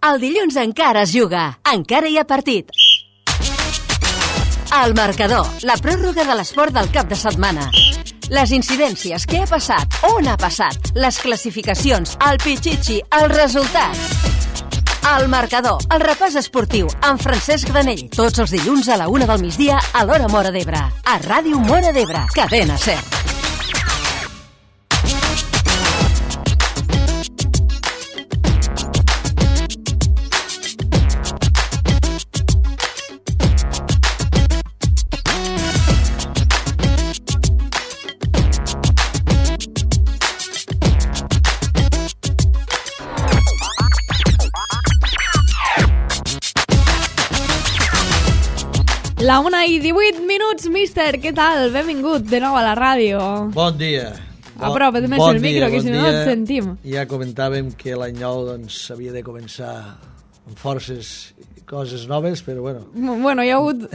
El dilluns encara es juga, encara hi ha partit. El marcador, la pròrroga de l'esport del cap de setmana. Les incidències, què ha passat, on ha passat, les classificacions, el pitxitxi, els resultats. El marcador, el repàs esportiu, amb Francesc Granell, tots els dilluns a la 1 del migdia a l'hora Móra d'Ebre. A Ràdio Móra d'Ebre, cadena SER. La 1:18, míster, què tal? Benvingut de nou a la ràdio. Bon dia. Apropa't més el micro, que si no et sentim. Ja comentàvem que l'any nou havia de començar amb forces coses noves, però bueno. Bueno, hi ha hagut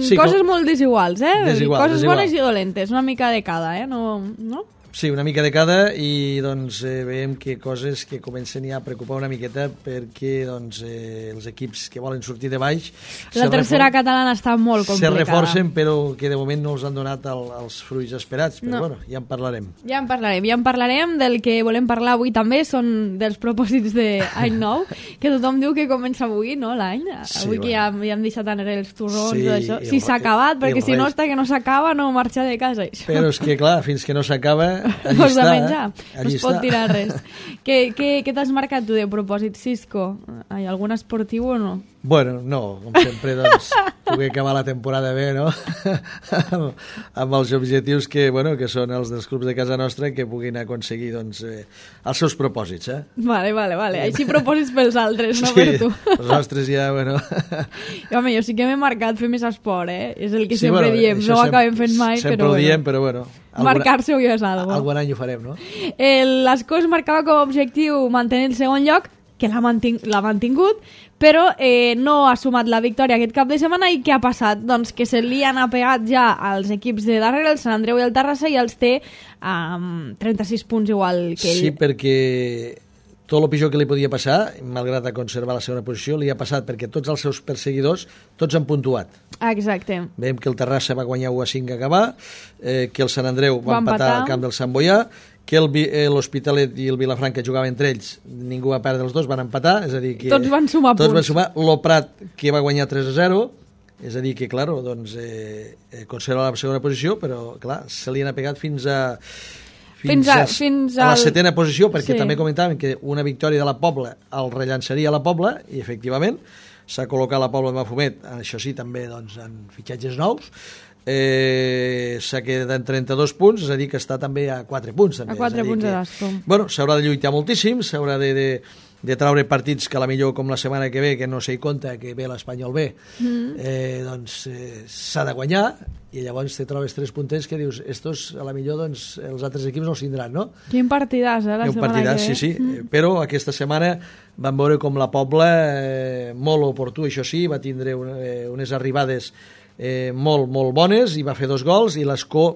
sí, coses molt desiguals, coses bones i dolentes, una mica de cada, no? Sí, una mica de cada, i doncs veiem que coses que comencen ja a preocupar una miqueta perquè doncs, els equips que volen sortir de baix... La tercera catalana està molt complicada. Se reforcen, però que de moment no els han donat els fruits esperats, però bueno, ja en parlarem. Ja en parlarem, del que volem parlar avui també són dels propòsits d'any nou, que tothom diu que comença avui, no, l'any? Sí, avui que ja hem deixat enrere els torrons, sí, això. Si s'ha acabat, perquè si no, està que no s'acaba, no marxa de casa. Això. Però és que, clar, fins que no s'acaba... Allí està, menjar. No es pot tirar res. Què t'has marcat tu de propòsit, Cisco? Hi ha algun esportiu o no? Bueno, no, com sempre, doncs, poder acabar la temporada bé, no? amb els objectius que són els dels clubs de casa nostra, que puguin aconseguir, doncs, els seus propòsits, Vale. Així propòsits pels altres, no per tu. Els nostres ja, bueno... Home, jo sí que m'he marcat fer més esport, És el que sempre diem, no ho acabem fent mai, però... Sempre ho diem, però bueno... Marcar-se ho és algo. Algun any ho farem, no? L'Escó es marcava com a objectiu mantenir el segon lloc, que l'ha mantingut, però no ha sumat la victòria aquest cap de setmana. I què ha passat? Doncs que se li han apegat ja als equips de darrere, el Sant Andreu i el Terrassa, i els té 36 punts igual que ell. Sí, perquè tot el pitjor que li podia passar, malgrat a conservar la segona posició, li ha passat perquè tots els seus perseguidors, tots han puntuat. Exacte. Veiem que el Terrassa va guanyar 1-5 a acabar, que el Sant Andreu va empatar al camp del Sant Boià, que l'Hospitalet i el Vilafranca jugaven entre ells, ningú va perdre, els dos van empatar, és a dir que... Tots van sumar punts. L'Oprat, que va guanyar 3-0, és a dir que, clar, doncs, conserva la segona posició, però, clar, se li han apegat fins a la setena posició, perquè també comentàvem que una victòria de la Pobla el rellançaria a la Pobla, i efectivament s'ha col·locat la Pobla de Mafumet, això sí, també doncs, en fitxatges nous, s'ha quedat en 32 punts, és a dir que està també a 4 punts. També. A 4 punts de l'Escó. Bueno, s'haurà de lluitar moltíssim, s'haurà de traure partits que a la millor com la setmana que ve, que no s'hi compta, que ve l'Espanyol B, doncs s'ha de guanyar, i llavors te trobes 3 punters que dius, estos a la millor doncs, els altres equips no els tindran, no? Quin partidàs, la setmana que ve. Sí. Però aquesta setmana vam veure com la Pobla, molt oportú, això sí, va tindre unes arribades molt bones, i va fer 2 gols, i l'Escó,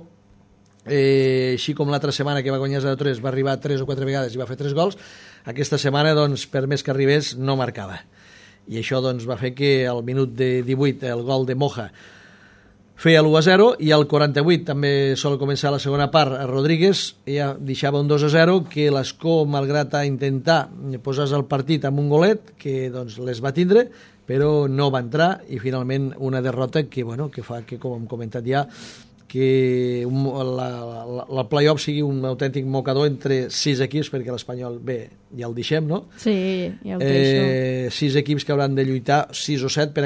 així com l'altra setmana que va guanyar 0-3, va arribar 3 o 4 vegades i va fer 3 gols, aquesta setmana, doncs, per més que arribés, no marcava. I això doncs, va fer que al minut de 18 el gol de Moja feia l'1-0, i al 48 també sol començar la segona part a Rodríguez, ja deixava un 2-0, que l'Escó, malgrat a intentar posar-se el partit amb un golet, que doncs, les va tindre, però no va entrar, i finalment una derrota que fa que, com hem comentat ja, que el play-off sigui un autèntic mocador entre 6 equips, perquè l'Espanyol B ja el deixem, no? Sí, ja ho deixo. 6 equips que hauran de lluitar, 6 o 7 per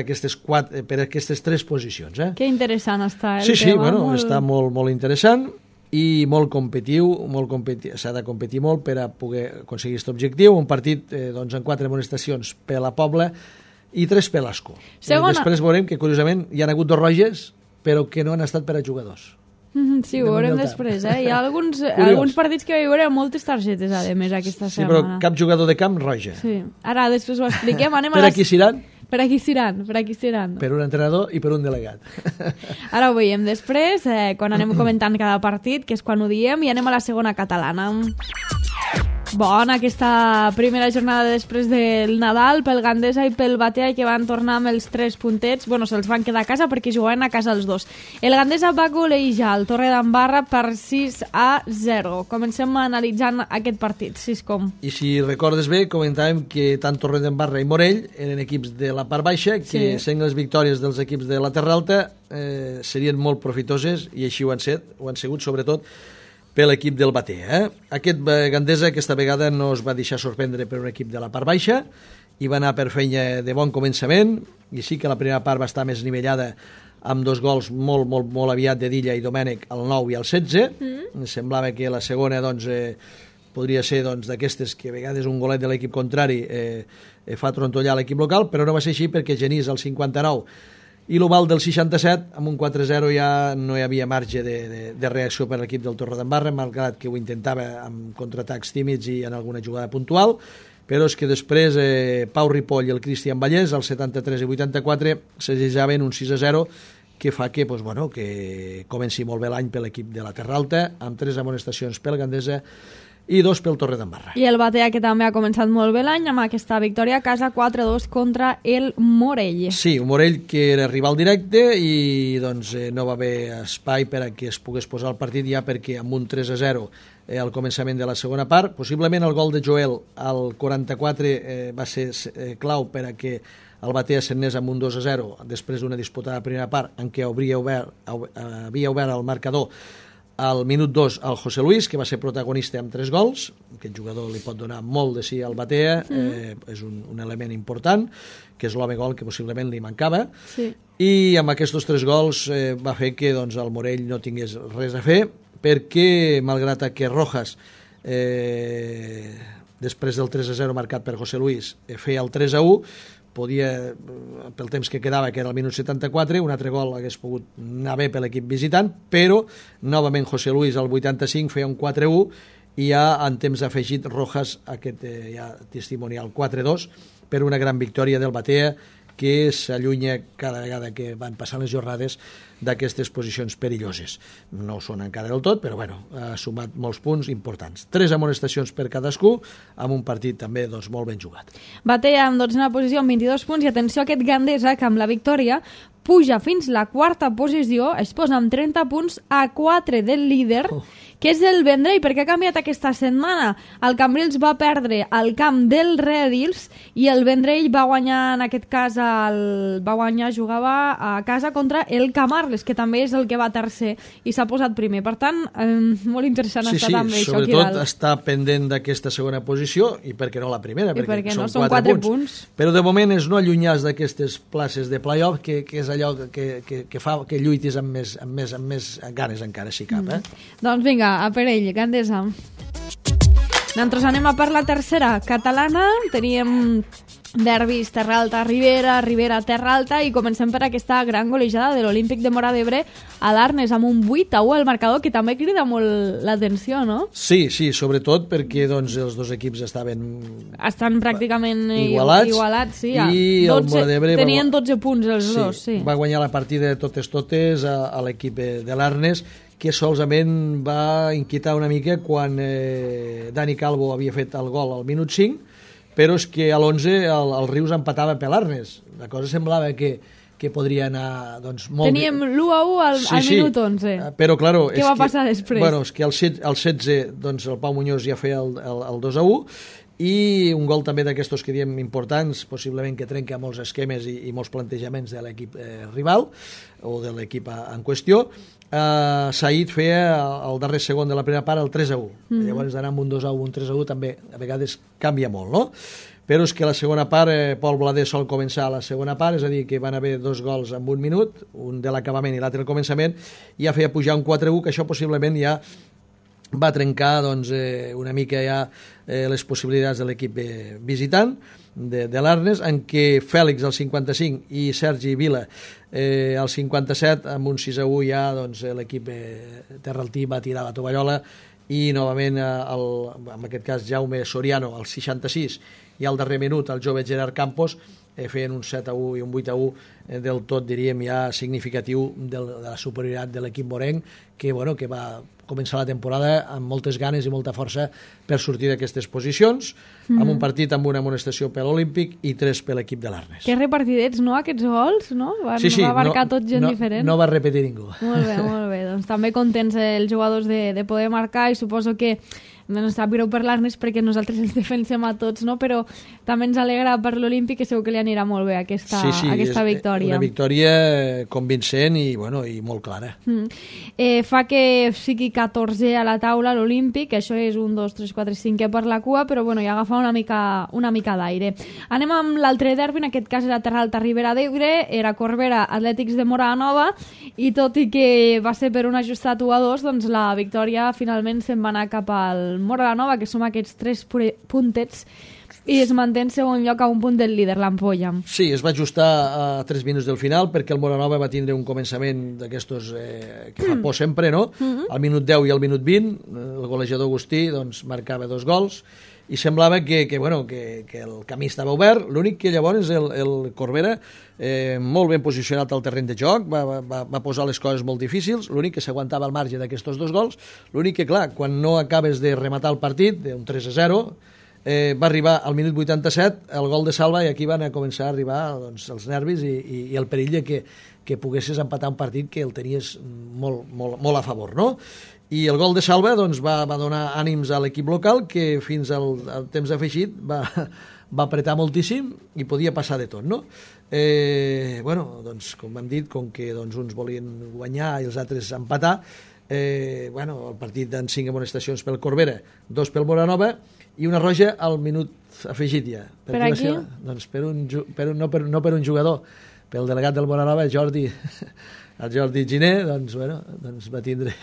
aquestes 3 posicions. Que interessant està el tema. Sí, bueno, està molt interessant i molt competitiu, s'ha de competir molt per a poder aconseguir aquest objectiu. Un partit doncs, amb 4 amonestacions per a la Pobla i 3 per l'Escó. Després veurem que, curiosament, hi ha hagut 2 roges, però que no han estat per a jugadors. Sí, ho veurem després. Hi ha alguns partits que hi haurà moltes targetes, a més, aquesta setmana. Sí, però cap jugador de camp roja. Sí. Ara, després ho expliquem. Per aquí seran? Per aquí seran. Per un entrenador i per un delegat. Ara ho veiem després, quan anem comentant cada partit, que és quan ho diem, i anem a la segona catalana. Bona aquesta primera jornada després del Nadal pel Gandesa i pel Batea, que van tornar amb els 3 puntets. Bueno, se'ls van quedar a casa perquè jugaven a casa els dos. El Gandesa va golejar el Torredembarra per 6-0. Comencem analitzant aquest partit, Siscom. I si recordes bé, comentàvem que tant Torredembarra i Morell eren equips de la part baixa, que sent les victòries dels equips de la Terra Alta serien molt profitoses, i així ho han sigut sobretot per l'equip del Batea. Aquest Gandesa aquesta vegada no es va deixar sorprendre per un equip de la part baixa i va anar per feina de bon començament, i sí que la primera part va estar més nivellada amb 2 gols molt aviat de Dilla i Domènech al 9 i al 16. Semblava que la segona podria ser d'aquestes que a vegades un golet de l'equip contrari fa trontollar l'equip local, però no va ser així perquè Genís al 59 i l'Oval del 67, amb un 4-0 ja no hi havia marge de reacció per l'equip del Torredembarra, malgrat que ho intentava amb contraatacs tímids i en alguna jugada puntual, però és que després Pau Ripoll i el Cristian Vallès, al 73 i 84, s'assajaven un 6-0, que fa que comenci molt bé l'any per l'equip de la Terra Alta, amb 3 amonestacions pel Gandesa i 2 pel Torredembarra. I el Batea, que també ha començat molt bé l'any amb aquesta victòria a casa 4-2 contra el Morell. Sí, un Morell que era rival directe i no va haver espai per a que es pogués posar el partit, ja perquè amb un 3-0 al començament de la segona part, possiblement el gol de Joel al 44 va ser clau per a que el Batea s'anés amb un 2-0 després d'una disputada primera part en què havia obert el marcador al minut 2 al José Luis, que va ser protagonista amb 3 gols. Aquest jugador li pot donar molt de sí al Batea, és un element important, que és l'home gol que possiblement li mancava, i amb aquests 3 gols va fer que el Morell no tingués res a fer, perquè malgrat que Rojas després del 3-0 marcat per José Luis feia el 3-1, podia, pel temps que quedava, que era el minut 74, un altre gol hagués pogut anar bé per l'equip visitant, però novament José Luis al 85 feia un 4-1 i ja en temps afegit Rojas aquest ja testimonial 4-2 per una gran victòria del Batea, que s'allunya cada vegada que van passant les jornades d'aquestes posicions perilloses. No ho són encara del tot, però ha sumat molts punts importants. 3 amonestacions per cadascú, amb un partit també molt ben jugat. Batea amb 12a posició amb 22 punts, i atenció a aquest Gandesa, que amb la victòria puja fins la 4a posició, es posa amb 30 punts a 4 del líder, que és el Vendrell, perquè ha canviat aquesta setmana. El Cambrils va perdre al camp del Rèdils i el Vendrell va guanyar, en aquest cas, jugava a casa contra el Camarles, que també és el que va tercer i s'ha posat primer. Per tant, molt interessant està també això aquí dalt. Sobretot està pendent d'aquesta segona posició, i per què no la primera, perquè són 4 punts. Però de moment és no allunyar d'aquestes places de play-off, que és allò que fa que lluitis amb més ganes encara, si cap. Doncs vinga, a per ell, Gandesa. Nosaltres anem a per la tercera catalana. Teníem derbis Terra Alta-Ribera, Ribera-Terra Alta, i comencem per aquesta gran golejada de l'Olímpic de Móra d'Ebre a l'Arnes amb un 8-1 al marcador, que també crida molt l'atenció, no? Sí, sobretot perquè els dos equips estan pràcticament igualats, sí. I el Móra d'Ebre tenien 12 punts els dos, sí. Va guanyar la partida de totes a l'equip de l'Arnes, que solament va inquietar una mica quan Dani Calvo havia fet el gol al minut 5, però és que a l'11 el Rius empatava per l'Arnes. La cosa semblava que podria anar molt... Teníem l'1-1 al minut 11. Però, claro... Què va passar després? Bueno, és que al 16 el Pau Muñoz ja feia el 2-1, i un gol també d'aquestos que diem importants, possiblement que trenca molts esquemes i molts plantejaments de l'equip rival o de l'equip en qüestió. Said feia el darrer segon de la primera part el 3-1. Llavors d'anar amb un 2-1, un 3-1 també a vegades canvia molt, no? Però és que la segona part, Pol Blader sol començar la segona part, és a dir, que van haver 2 gols en un minut, un de l'acabament i l'altre al començament, i ja feia pujar un 4-1, que això possiblement ja va trencar una mica ja les possibilitats de l'equip visitant de l'Arnes, en què Fèlix al 55 i Sergi Vila al 57, amb un 6-1 ja l'equip terraltí va tirar la tovallola, i novament en aquest cas Jaume Soriano al 66 i al darrer minut el jove Gerard Campos feien un 7-1 i un 8-1 del tot, diríem, ja significatiu de la superioritat de l'equip morenc, que va començar la temporada amb moltes ganes i molta força per sortir d'aquestes posicions, amb un partit amb una amonestació per l'Olímpic i 3 per l'equip de l'Arnes. Que repartidets, no, aquests gols, no? Va marcar tot gent diferent. No va repetir ningú. Molt bé. Doncs també contents els jugadors de poder marcar, i suposo que ens sap greu per l'Arnes perquè nosaltres els defensem a tots, no? Però també ens alegra per l'Olímpic, que segur que li anirà molt bé aquesta victòria. Una victòria convincent i molt clara. Fa que sigui 14 a la taula l'Olímpic, això és 1, 2, 3, 4, 5 per la cua, però ja agafa una mica d'aire. Anem amb l'altre derbi, en aquest cas era Terralta Ribera d'Ebre, era Corbera Atlètics de Móra la Nova, i tot i que va ser per un ajustat 1-2, doncs la victòria finalment se'n va anar cap al Móra la Nova, que som aquests 3 puntets, i es manté en segon lloc a un punt del líder, l'Ampolla. Sí, es va ajustar a 3 minuts del final perquè el Móra la Nova va tindre un començament d'aquestos que fa por sempre, no? Al minut 10 i al minut 20 el golejador Agustí marcava 2 gols i semblava que el camí estava obert. L'únic que llavors el Corbera, molt ben posicionat al terreny de joc, va posar les coses molt difícils, l'únic que s'aguantava al marge d'aquests 2 gols, l'únic que, clar, quan no acabes de rematar el partit, d'un 3-0, va arribar al minut 87 el gol de Salva, i aquí van a començar a arribar els nervis i el perill que poguessis empatar un partit que el tenies molt a favor, no? I el gol de Salva va donar ànims a l'equip local, que fins al temps afegit va apretar moltíssim i podia passar de tot, no? Com hem dit, com que uns volien guanyar i els altres empatar, el partit en 5 amonestacions pel Corbera, 2 pel Móra la Nova i una roja al minut afegit ja. Per aquí? No per un jugador, pel delegat del Móra la Nova, el Jordi Giner, va tindre...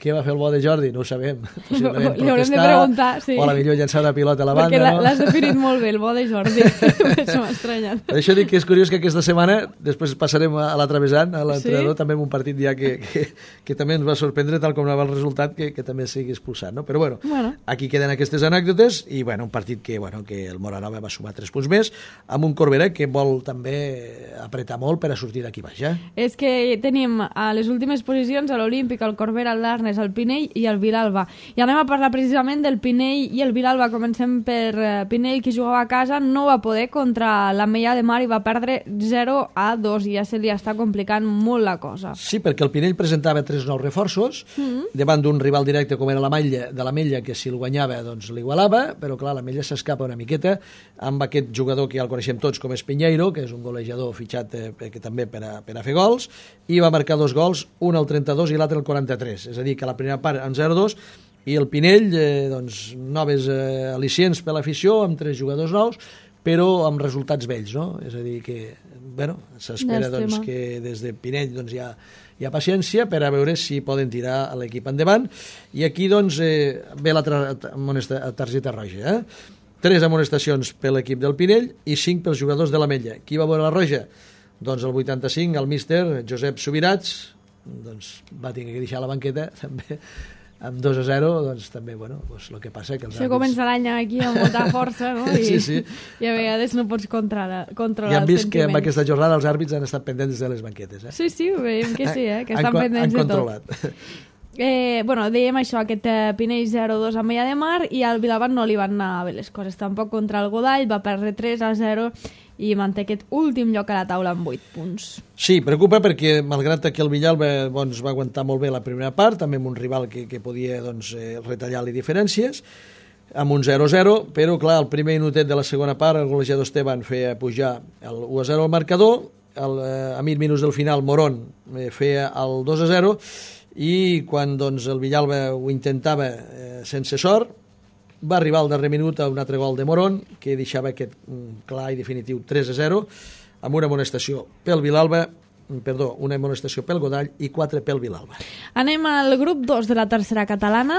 Què va fer el bo de Jordi? No ho sabem. Li haurem de preguntar, sí. O potser llançar una pilota a la banda, perquè l'has definit molt bé, el bo de Jordi. Això m'ha estranyat. Per això dic que és curiós que aquesta setmana, després passarem a la travessant, a l'entrenador, també amb un partit ja que també ens va sorprendre, tal com anava el resultat, que també sigui expulsat, no? Però aquí queden aquestes anècdotes i un partit que el Móra la Nova va sumar 3 punts més, amb un Corbera que vol també apretar molt per a sortir d'aquí baix. És que tenim a les últimes posicions a l'Olímpic, el Corbera, el Darnes, el Pinell i el Vilalba. I anem a parlar precisament del Pinell i el Vilalba. Comencem per Pinell, que jugava a casa, no va poder contra l'Ametlla de Mar i va perdre 0-2, i ja se li està complicant molt la cosa. Sí, perquè el Pinell presentava 3 nous reforços davant d'un rival directe com era l'Ametlla, que si el guanyava l'igualava, però clar, l'Ametlla s'escapa una miqueta amb aquest jugador que ja el coneixem tots com és Pinheiro, que és un golejador fitxat també per a fer gols, i va marcar 2 gols, un al 32 i l'altre al 43, és a dir, que la primera part en 0-2, i el Pinell, noves al·licients per l'afició, amb 3 jugadors nous, però amb resultats vells, no? És a dir, que s'espera que des de Pinell hi ha paciència per a veure si poden tirar l'equip endavant, i aquí ve la targeta roja, 3 amonestacions per l'equip del Pinell i 5 pels jugadors de l'Ametlla. Qui va veure la roja? Doncs el 85, el míster Josep Subirats, va tenir que deixar la banqueta també amb 2-0, també, el que passa que els àrbits... comença l'any aquí amb molta força, no? Sí. I a vegades no pots controlar els sentiments. I hem vist que amb aquesta jornada els àrbits han estat pendents de les banquetes. Sí, ho veiem que sí, que estan pendents de tot. Han controlat. Dèiem això, aquest Pinell 0-2 a Ametlla de Mar, i al Vilalba no li van anar bé les coses tampoc contra el Godall, va perdre 3-0 i manté aquest últim lloc a la taula amb 8 punts. Sí, preocupa perquè malgrat que el Vilalba va aguantar molt bé la primera part, també amb un rival que podia retallar-li diferències, amb un 0-0, però clar, el primer minutet de la segona part el golejador Esteban feia pujar el 1-0 al marcador, a 20 minuts del final Morón feia el 2-0, i quan el Villalba ho intentava sense sort, va arribar al darrer minut a un altre gol de Morón que deixava aquest clar i definitiu 3-0 amb una amonestació pel Vilalba, una amonestació pel Godall i 4 pel Vilalba. Anem al grup 2 de la tercera catalana.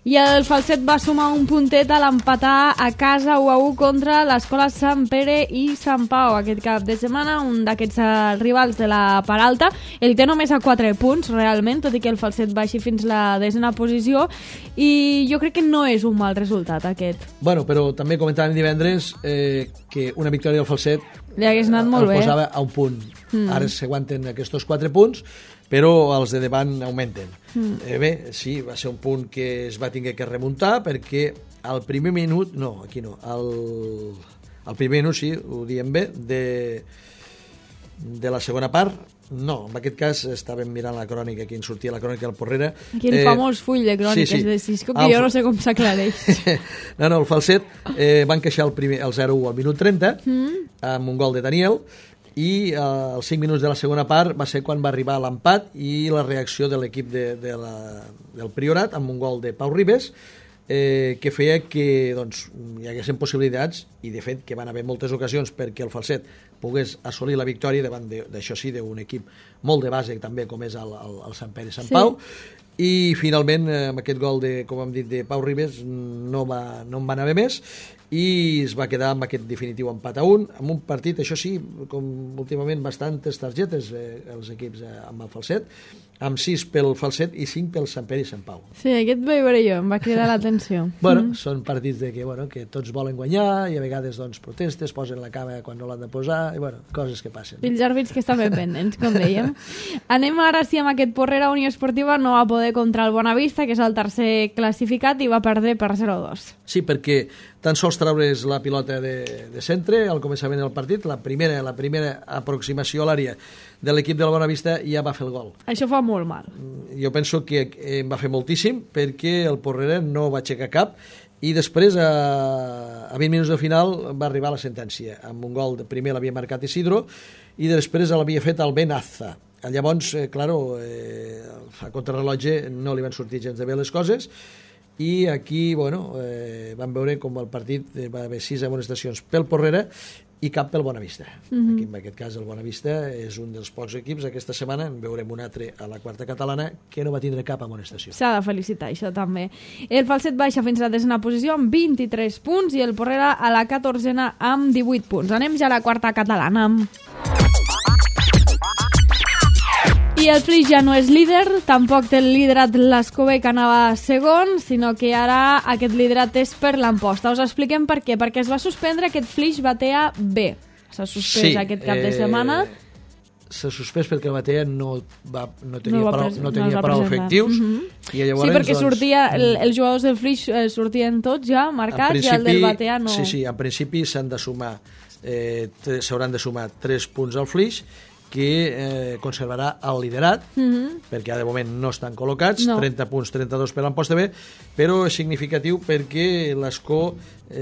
I el Falset va sumar un puntet a l'empatar a casa 1-1 contra l'Escola Sant Pere i Sant Pau aquest cap de setmana, un d'aquests rivals de la part alta. El té només a 4 punts, realment, tot i que el Falset baixi fins la 10a posició, i jo crec que no és un mal resultat aquest. Bueno, però també comentàvem divendres que una victòria del Falset li hagués anat molt bé. El posava a un punt. Ara s'aguanten aquests 4 punts, però els de davant augmenten. Bé, sí, va ser un punt que es va haver que remuntar, perquè al primer minut, no, aquí no, al primer minut, sí, ho diem bé, de la segona part, no, en aquest cas estàvem mirant la crònica, aquí en sortia la crònica del Porrera. Aquí en famós full de cròniques de Cisco, que jo no sé com s'aclareix. No, el Falset van queixar el 0-1 al minut 30, amb un gol de Daniel, i als 5 minuts de la segona part va ser quan va arribar l'empat i la reacció de l'equip del Priorat amb un gol de Pau Ribes, que feia que doncs, hi haguessin possibilitats, i de fet que van haver moltes ocasions perquè el Falset pogués assolir la victòria davant d'això sí, d'un equip molt de base també com és el Sant Pere i Sant Pau, i finalment amb aquest gol com hem dit de Pau Ribes no en van haver més, i es va quedar amb aquest definitiu empat a 1, amb un partit, això sí, com últimament bastantes targetes els equips amb el Falset, amb 6 pel Falset i 5 pel Sant Pere i Sant Pau. Sí, aquest vaig veure jo, em va cridar l'atenció. Bueno, són partits que tots volen guanyar i a vegades doncs, protestes, posen la cama quan no l'han de posar, i bueno, coses que passen. Fills àrbits que estan ben pendents, com dèiem. Anem ara sí amb aquest Porrera. Unió Esportiva no va poder contra el Bonavista, que és el tercer classificat, i va perdre per 0-2. Sí, perquè tan sols traure's la pilota de centre al començament del partit, la primera aproximació a l'àrea de l'equip del Bonavista ja va fer el gol. Això fa molt mal. Jo penso que em va fer moltíssim, perquè el Porrera no va aixecar cap, i després a 20 minuts del final va arribar la sentència, amb un gol de primer l'havia marcat Isidro i després l'havia fet el Benaza. Llavors, a contrarrellotge no li van sortir gens de bé les coses, i aquí vam veure com el partit va haver 6 amonestacions pel Porrera i cap pel Bonavista. Aquí, en aquest cas el Bonavista és un dels pocs equips aquesta setmana, en veurem un altre a la quarta catalana, que no va tindre cap amonestació. S'ha de felicitar, això també. El Falset baixa fins a la 10a posició amb 23 punts i el Porrera a la 14a amb 18 punts. Anem ja a la quarta catalana. I el Flix ja no és líder, tampoc té el liderat l'Escobé, que anava segon, sinó que ara aquest liderat és per l'Amposta. Us expliquem per què. Perquè es va suspendre aquest Flix Batea B. S'ha suspès aquest cap de setmana. S'ha suspès perquè el Batea no tenia prou efectius. I llavors, sí, perquè sortia, els jugadors del Flix sortien tots ja marcats, i el del Batea no. Sí, en principi s'hauran de sumar 3 punts al Flix, que conservarà el liderat, perquè de moment no estan col·locats, 30 punts, 32 per l'Amposta B, però és significatiu perquè l'Escó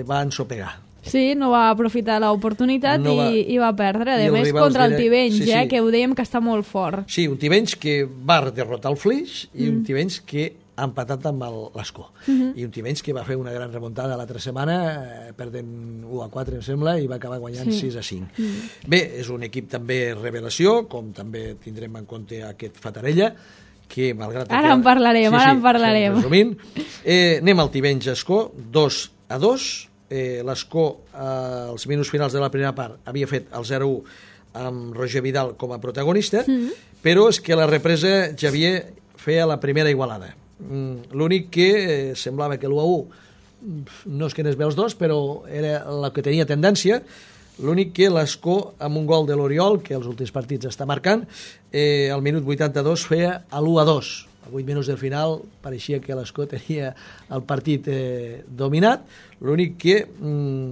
va ensopegar. Sí, no va aprofitar l'oportunitat i va perdre. A més, contra el Tivenys, que ho dèiem que està molt fort. Sí, un Tivenys que va derrotar el Flix i un Tivenys que ha empatat amb l'Escó. I un Tivenys que va fer una gran remuntada l'altra setmana, perdent 1-4, em sembla, i va acabar guanyant 6-5. Bé, és un equip també revelació, com també tindrem en compte aquest Fatarella, que malgrat... Ara en parlarem, ara en parlarem. Resumint, anem al Tivenys-Escó, 2-2. L'Escó, als minuts finals de la primera part, havia fet el 0-1 amb Roger Vidal com a protagonista, però és que la represa Javier feia la primera igualada. L'únic que semblava que l'1-1 no és que anés bé els dos, però era la que tenia tendència. L'únic que l'Escó, amb un gol de l'Oriol, que els últims partits està marcant, al minut 82 feia l'1-2. A 8 minuts del final pareixia que l'Escó tenia el partit dominat. L'únic que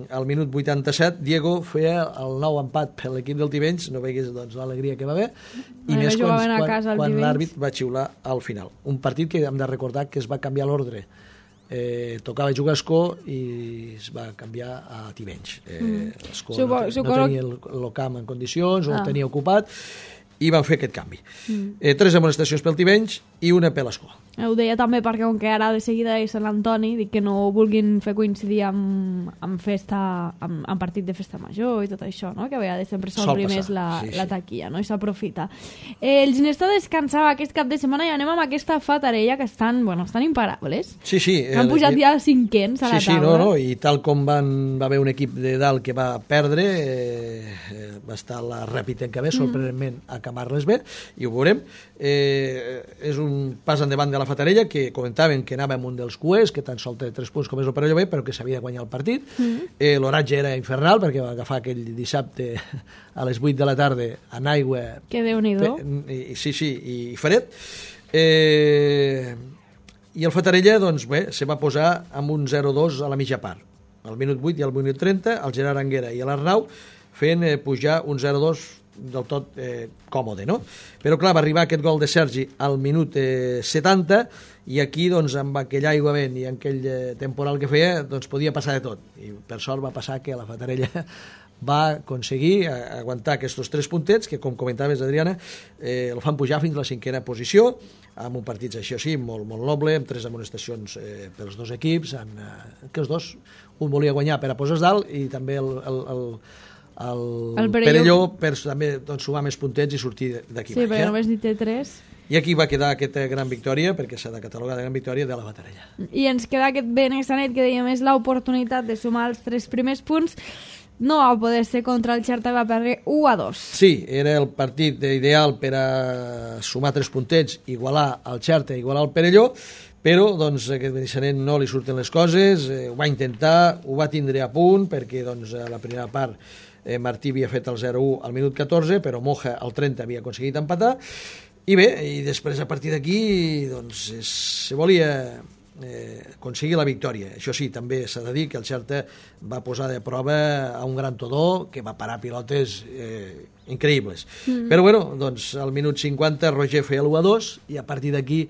al minut 87 Diego feia el nou empat per l'equip del Tivenys, no veigués l'alegria que va haver, i més quan l'àrbit va xiular al final. Un partit que hem de recordar que es va canviar l'ordre. Tocava jugar a Escó i es va canviar a Tivenys. L'Escó no tenia el camp en condicions, o el tenia ocupat, i van fer aquest canvi. 3 amonestacions pel Tivenys i una per l'Escó. Ho deia també perquè, com que ara de seguida és Sant Antoni, dic que no vulguin fer coincidir amb festa, amb partit de festa major i tot això, no? Que a vegades sempre són primers la taquilla, no? I s'aprofita. El Ginesta descansava aquest cap de setmana i anem amb aquesta Fatarella que estan imparables. Sí. Han pujat ja 500 a la taula. No, i tal com va haver un equip de dalt que va perdre, va estar la Ràpita bé, sorprenentment a acabar-les bé, i ho veurem. És un pas endavant de la Fatarella, que comentaven que anava amb un dels cuers, que tan sol té 3 punts com és el Perelló B, però que s'havia de guanyar el partit. L'oratge era infernal, perquè va agafar aquell dissabte a les 8 de la tarda en aigua. Que Déu-n'hi-do. Sí, i fred. I el Fatarella, doncs bé, se va posar amb un 0-2 a la mitja part. Al minut 8 i al minut 30, el Gerard Anguera i l'Arnau fent pujar un 0-2 del tot còmode, no? Però clar, va arribar aquest gol de Sergi al minut 70 i aquí, doncs, amb aquell aigua vent i aquell temporal que feia, doncs podia passar de tot. I per sort va passar que la Fatarella va aconseguir aguantar aquests 3 puntets que, com comentaves, Adriana, el fan pujar fins a la 5a posició, amb un partit així, molt noble, amb 3 amonestacions pels 2 equips, que els dos, un volia guanyar per a posar dalt i també el Perelló per també sumar més puntets i sortir d'aquí baix. Sí, perquè només n'hi té 3. I aquí va quedar aquesta gran victòria, perquè s'ha de catalogar de gran victòria de la Fatarella. I ens queda aquest Benissanet, que dèiem és l'oportunitat de sumar els 3 primers punts. No va poder ser contra el Xerta, va perdre 1-2. Sí, era el partit ideal per a sumar 3 puntets, igualar el Xerta, igualar el Perelló, però doncs, aquest Benissanet no li surten les coses, ho va intentar, ho va tindre a punt, perquè doncs, a la primera part Martí havia fet el 0-1 al minut 14, però Moja al 30 havia aconseguit empatar, i bé, i després a partir d'aquí doncs, se volia aconseguir la victòria. Això sí, també s'ha de dir que el Xerta va posar de prova a un gran Todó que va parar pilotes increïbles. Però bueno, doncs al minut 50 Roger feia l'1-2 i a partir d'aquí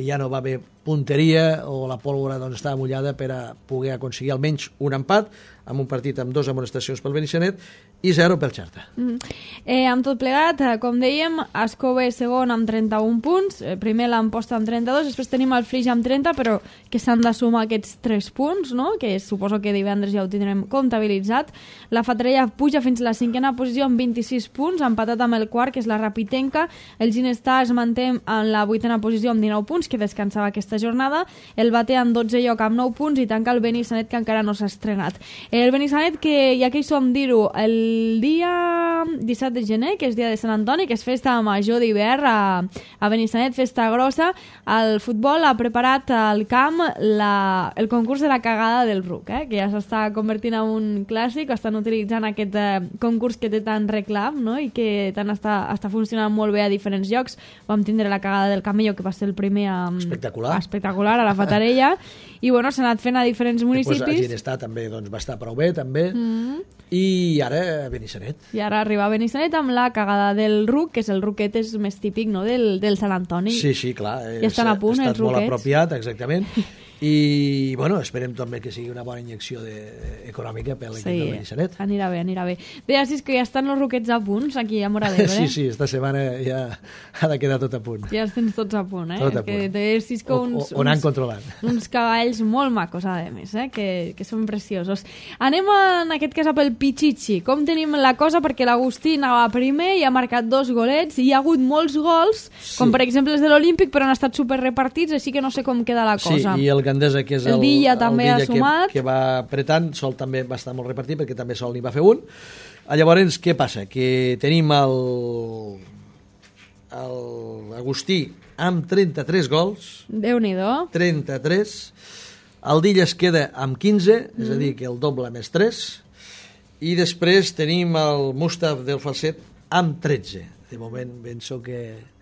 ja no va haver punteria o la pólvora doncs, estava mullada per a poder aconseguir almenys un empat amb un partit amb 2 amonestacions pel Benissanet i 0 pel Xerta. Amb tot plegat, com dèiem, Escó és segon amb 31 punts, primer l'Amposta amb 32, després tenim el Flix amb 30, però que s'han de sumar aquests 3 punts, no? Que suposo que divendres ja ho tindrem comptabilitzat. La Fatarella puja fins a la 5a posició amb 26 punts, empatat amb el quart, que és la Rapitenca. El Ginestà es manté en la 8a posició amb 19 punts, que descansava aquesta jornada. El Bate en 12 lloc amb 9 punts i tanca el Benissanet, que encara no s'ha estrenat. El Benissanet, que ja que hi som dir-ho, el dia 17 de gener, que és dia de Sant Antoni, que és festa major d'hivern a Benissanet, festa grossa, el futbol ha preparat al camp el concurs de la cagada del ruc, que ja s'està convertint en un clàssic, estan utilitzant aquest concurs que té tant reclam, no? I que tant està funcionant molt bé a diferents llocs. Vam tindre la cagada del camello, que va ser el primer espectacular a la Fatarella, i bueno, s'ha anat fent a diferents municipis. Després el Ginestà també va estar prou bé, també, i ara Benissanet. I ara arriba a Benissanet amb la cagada del ruc, que és el ruquet és més típic, no?, del Sant Antoni. Sí, clar. Ja estan a punt, els ruquets. Ha estat molt apropiat, exactament. I, bueno, esperem també que sigui una bona injecció econòmica per l'equip de Benissanet. Anirà bé. Deia, si és que ja estan els ruquets a punts aquí a Móra d'Ebre. Sí, esta setmana ja ha de quedar tot a punt. Ja els tens tots a punt, Tot a punt. O anant controlant. Uns cavalls molt macos, a més, que són preciosos. Anem en aquest cas a pel Pichichi. Com tenim la cosa? Perquè l'Agustí anava primer i ha marcat 2 golets i hi ha hagut molts gols, com per exemple els de l'Olímpic, però han estat superrepartits, així que no sé com queda la cosa. Sí, i el Gandesa, que és el Villa també ha sumat, que va apretant, Sol també va estar molt repartit perquè també Sol n'hi va fer un. Llavors, què passa? Que tenim l'Agustí amb 33 gols. Déu-n'hi-do. 33. El Dilla es queda amb 15, és a dir, que el doble més 3. I després tenim el Mustaf del Falset amb 13. De moment penso que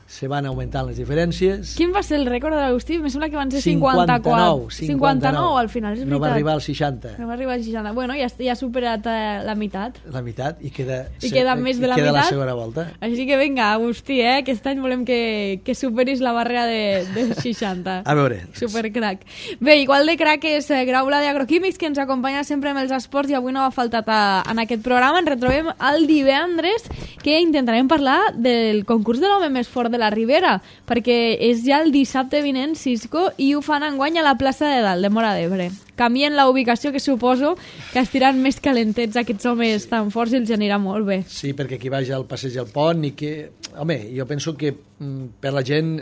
se van augmentant les diferències. Quin va ser el rècord de l'Agustí? Em sembla que van ser 54. 59 al final, és veritat. No va arribar als 60. No va arribar als 60. Bueno, ja ha superat la meitat. La meitat, i queda més de la meitat. Queda la segona volta. Així que vinga, Agustí, que aquest any volem que superis la barrera de 60. A veure. Supercrac. Bé, igual de crac és Graula d'Agroquímics, que ens acompanya sempre amb els esports i avui no ha faltat en aquest programa. Ens retrobem el divendres, que intentarem parlar del concurs de l'home més fort de la Ribera, perquè és ja el dissabte vinent, Cisco, i ho fan enguany a la plaça de dalt, de Móra d'Ebre. Canvien la ubicació, que suposo que estiran més calentets aquests homes tan forts i els anirà molt bé. Sí, perquè aquí vaja al passeig del pont i que... Home, jo penso que per la gent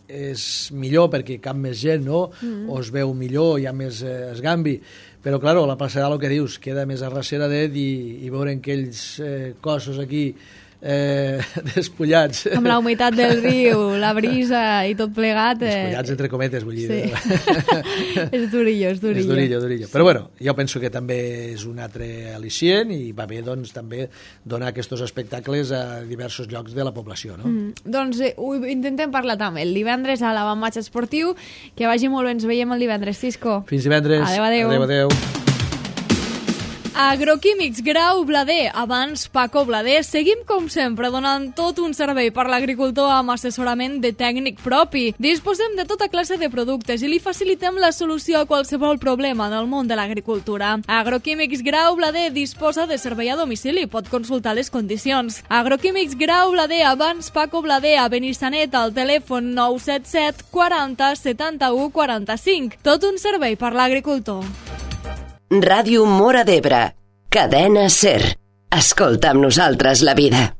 és millor perquè cap més gent, no? O es veu millor, hi ha més esgambi. Però, clar, la plaça de dalt, el que dius, queda més a rasera i veure aquells cossos aquí despullats. Amb la humitat del riu, la brisa i tot plegat. Despullats entre cometes, vull dir. Sí. És durillo, és durillo. És durillo. Però bueno, jo penso que també és un altre al·licient i va bé doncs també donar aquests espectacles a diversos llocs de la població, no? Doncs ho intentem parlar també el divendres a l'avantmatx esportiu. Que vagi molt bé, ens veiem el divendres, Cisco. Fins divendres. Adéu. Adéu. Agroquímics Grau Blader, abans Paco Blader. Seguim, com sempre, donant tot un servei per l'agricultor amb assessorament de tècnic propi. Disposem de tota classe de productes i li facilitem la solució a qualsevol problema del món de l'agricultura. Agroquímics Grau Blader disposa de servei a domicili, pot consultar les condicions. Agroquímics Grau Blader, abans Paco Blader, a Benissanet, al telèfon 977 40 71 45. Tot un servei per l'agricultor. Ràdio Móra d'Ebre, cadena SER. Escolta amb nosaltres la vida.